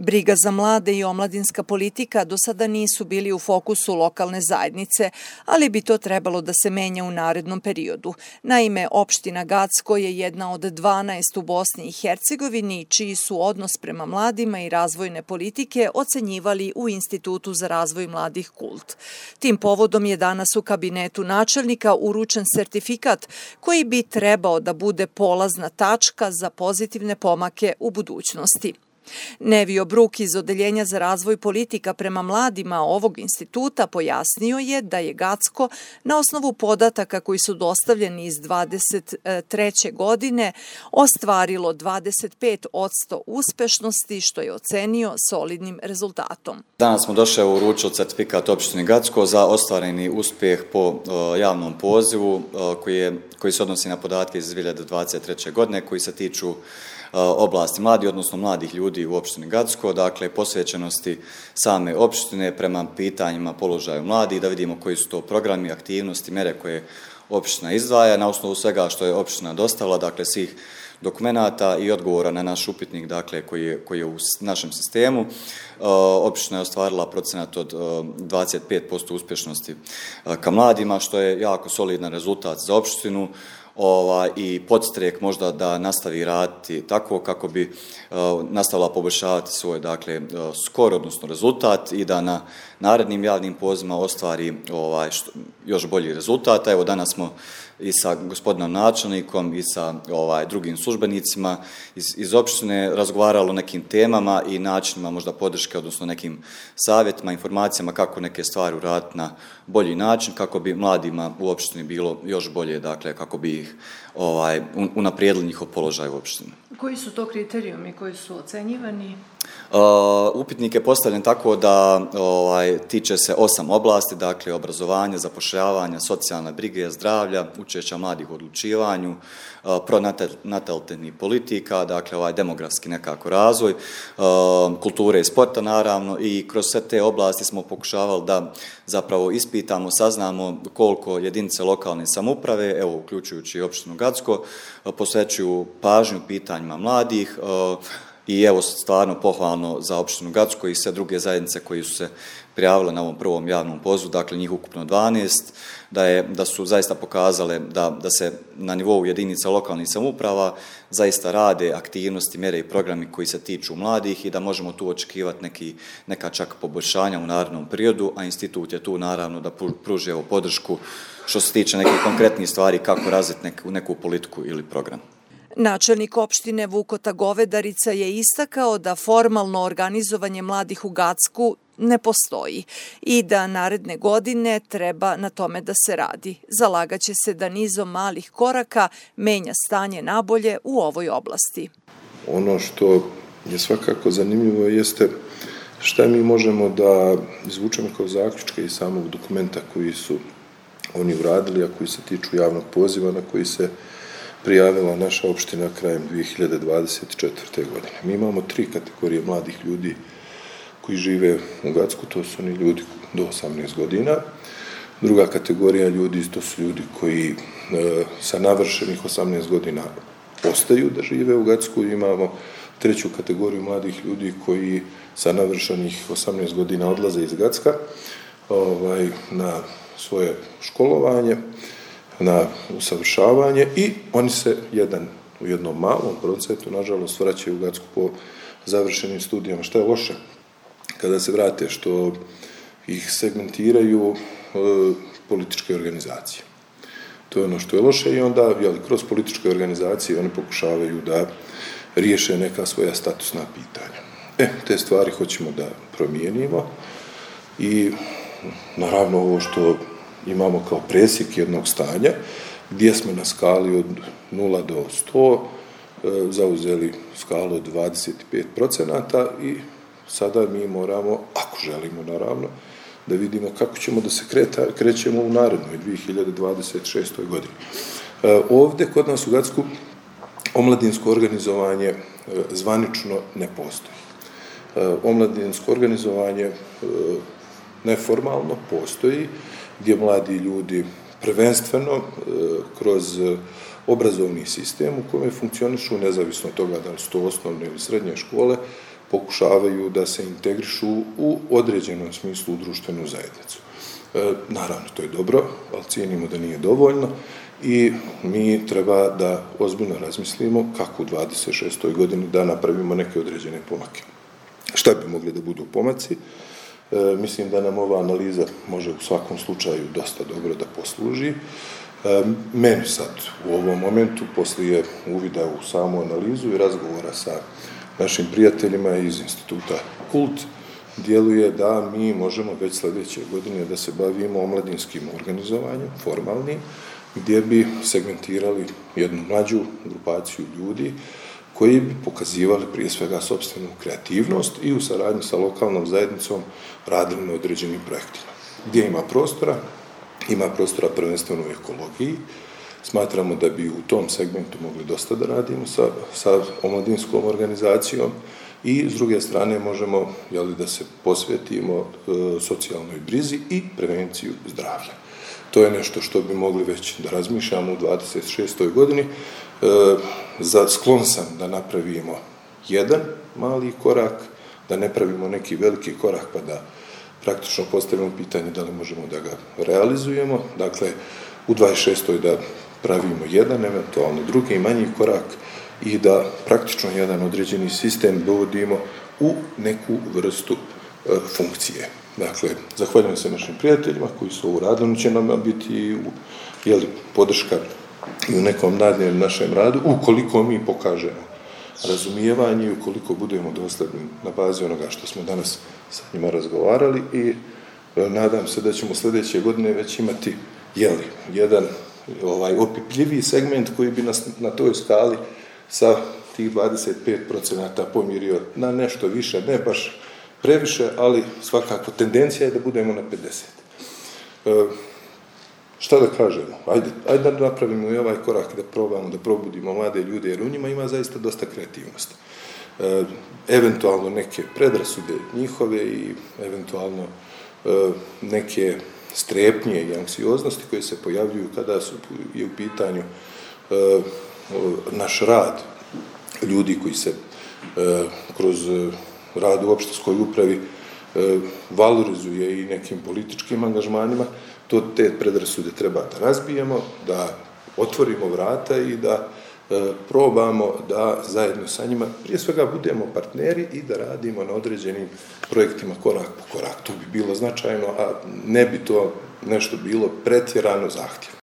Briga za mlade i omladinska politika do sada nisu bili u fokusu lokalne zajednice, ali bi to trebalo da se menja u narednom periodu. Naime, opština Gacko je jedna od 12 u Bosni i Hercegovini, čiji su odnos prema mladima i razvojne politike ocenjivali u Institutu za razvoj mladih KULT. Tim povodom je danas u kabinetu načelnika uručen sertifikat koji bi trebao da bude polazna tačka za pozitivne pomake u budućnosti. Nevio Bruk iz Odeljenja za razvoj politika prema mladima ovog instituta pojasnio je da je Gacko na osnovu podataka koji su dostavljeni iz 2023. godine ostvarilo 25% uspešnosti, što je ocenio solidnim rezultatom. Danas smo došli uručiti sertifikat opštini Gacko za ostvareni uspjeh po javnom pozivu koji se odnosi na podatke iz 2023. godine koji se tiču oblasti mladi, odnosno mladih ljudi u opštini Gacko, dakle posvećenosti same opštine prema pitanjima položaju mladih, da vidimo koji su to programi, aktivnosti, mere koje opština izdvaja na osnovu svega što je opština dostavila, dakle svih dokumenata i odgovora na naš upitnik, dakle koji je u našem sistemu. Opština je ostvarila procenat od 25% uspješnosti ka mladima, što je jako solidan rezultat za opštinu. I podstrek možda da nastavi raditi tako kako bi nastavila poboljšavati svoj skor, odnosno rezultat i da na narednim javnim pozivima ostvari još bolji rezultat. Evo danas smo i sa gospodinom načelnikom i sa drugim službenicima iz opštine razgovarali o nekim temama i načinima možda podrške, odnosno nekim savjetima, informacijama kako neke stvari uraditi na bolji način, kako bi mladima u opštini bilo još bolje, dakle kako bi ih unaprijedili njihov položaj u opštini. Koji su to kriterijumi koji su ocenjivani? Upitnik je postavljen tako da tiče se 8 oblasti, dakle obrazovanja, zapošljavanja, socijalne brige, zdravlja, učešća mladih u odlučivanju, pronatalitetnih politika, dakle demografski nekako razvoj, kulture i sporta naravno, i kroz sve te oblasti smo pokušavali da zapravo ispitamo, saznamo koliko jedinice lokalne samouprave, evo uključujući i opštinu Gacko, posvećuju pažnju pitanjima mladih. I evo stvarno pohvalno za opštinu Gacko i sve druge zajednice koji su se prijavile na ovom prvom javnom pozivu, dakle njih ukupno 12, da su zaista pokazale da se na nivou jedinica lokalnih samouprava zaista rade aktivnosti, mjere i programi koji se tiču mladih i da možemo tu očekivati neka čak poboljšanja u narednom periodu, a institut je tu naravno da pruži podršku što se tiče nekih konkretnih stvari kako razviti neku politiku ili program. Načelnik opštine Vukota Govedarica je istakao da formalno organizovanje mladih u Gacku ne postoji i da naredne godine treba na tome da se radi. Zalagaće se da nizom malih koraka menja stanje nabolje u ovoj oblasti. Ono što je svakako zanimljivo jeste šta mi možemo da izvučemo kao zaključke iz samog dokumenta koji su oni uradili, a koji se tiču javnog poziva na koji se prijavila naša opština krajem 2024. godine. Mi imamo 3 kategorije mladih ljudi koji žive u Gacku, to su oni ljudi do 18 godina. Druga kategorija ljudi, to su ljudi koji sa navršenih 18 godina ostaju da žive u Gacku. Imamo 3. kategoriju mladih ljudi koji sa navršenih 18 godina odlaze iz Gacka na svoje školovanje, na usavršavanje i oni se u jednom malom procentu, nažalost, vraćaju u Gacku po završenim studijama. Šta je loše kada se vrate? Što ih segmentiraju političke organizacije. To je ono što je loše i onda kroz političke organizacije oni pokušavaju da riješe neka svoja statusna pitanja. Te stvari hoćemo da promijenimo i naravno ovo što imamo kao presjek jednog stanja, gdje smo na skali od 0 do 100 zauzeli skalu od 25% i sada mi moramo, ako želimo naravno, da vidimo kako ćemo da se krećemo u narednoj 2026. godini. Ovdje kod nas u Gacku omladinsko organizovanje zvanično ne postoji. Omladinsko organizovanje neformalno postoji, gdje mladi ljudi prvenstveno kroz obrazovni sistem u kojem funkcionišu, nezavisno od toga da li su to osnovne ili srednje škole, pokušavaju da se integrišu u određenom smislu u društvenu zajednicu. Naravno, to je dobro, ali cijenimo da nije dovoljno i mi treba da ozbiljno razmislimo kako u 26. godini da napravimo neke određene pomake. Šta bi mogli da budu pomaci? Mislim da nam ova analiza može u svakom slučaju dosta dobro da posluži. Meni sad u ovom momentu, poslije uvida u samu analizu i razgovora sa našim prijateljima iz instituta Kult, djeluje da mi možemo već sljedeće godine da se bavimo omladinskim organizovanjem, formalnim, gdje bi segmentirali jednu mlađu grupaciju ljudi koji bi pokazivali prije svega sopstvenu kreativnost i u saradnji sa lokalnom zajednicom radili na određenim projektima. Gdje ima prostora prvenstveno u ekologiji. Smatramo da bi u tom segmentu mogli dosta da radimo sa omladinskom organizacijom i s druge strane možemo da se posvetimo socijalnoj brizi i prevenciju zdravlja. To je nešto što bi mogli već da razmišljamo u 26. godini. Sklon sam da napravimo jedan mali korak, da ne pravimo neki veliki korak pa da praktično postavimo pitanje da li možemo da ga realizujemo. Dakle, u 26. da pravimo jedan, eventualno drugi manji korak i da praktično jedan određeni sistem dovodimo u neku vrstu funkcije. Dakle, zahvaljujem se našim prijateljima koji su ovo radili, će nam biti podrška i u nekom daljem našem radu, ukoliko mi pokažemo razumijevanje i ukoliko budemo dosljedni na bazi onoga što smo danas sa njima razgovarali i nadam se da ćemo sljedeće godine već imati jedan opipljiviji segment koji bi nas na toj skali sa tih 25% pomirio na nešto više, ne baš previše, ali svakako tendencija je da budemo na 50. Šta da kažemo? Ajde da napravimo i ovaj korak da probamo da probudimo mlade ljude, jer u njima ima zaista dosta kreativnosti. Eventualno neke predrasude njihove i eventualno neke strepnje i anksioznosti koje se pojavljuju kada je u pitanju naš rad ljudi koji se kroz rad u opštinskoj upravi valorizuje i nekim političkim angažmanima. Te predrasude treba da razbijemo, da otvorimo vrata i da probamo da zajedno sa njima prije svega budemo partneri i da radimo na određenim projektima korak po korak. To bi bilo značajno, a ne bi to nešto bilo pretjerano zahtjevno.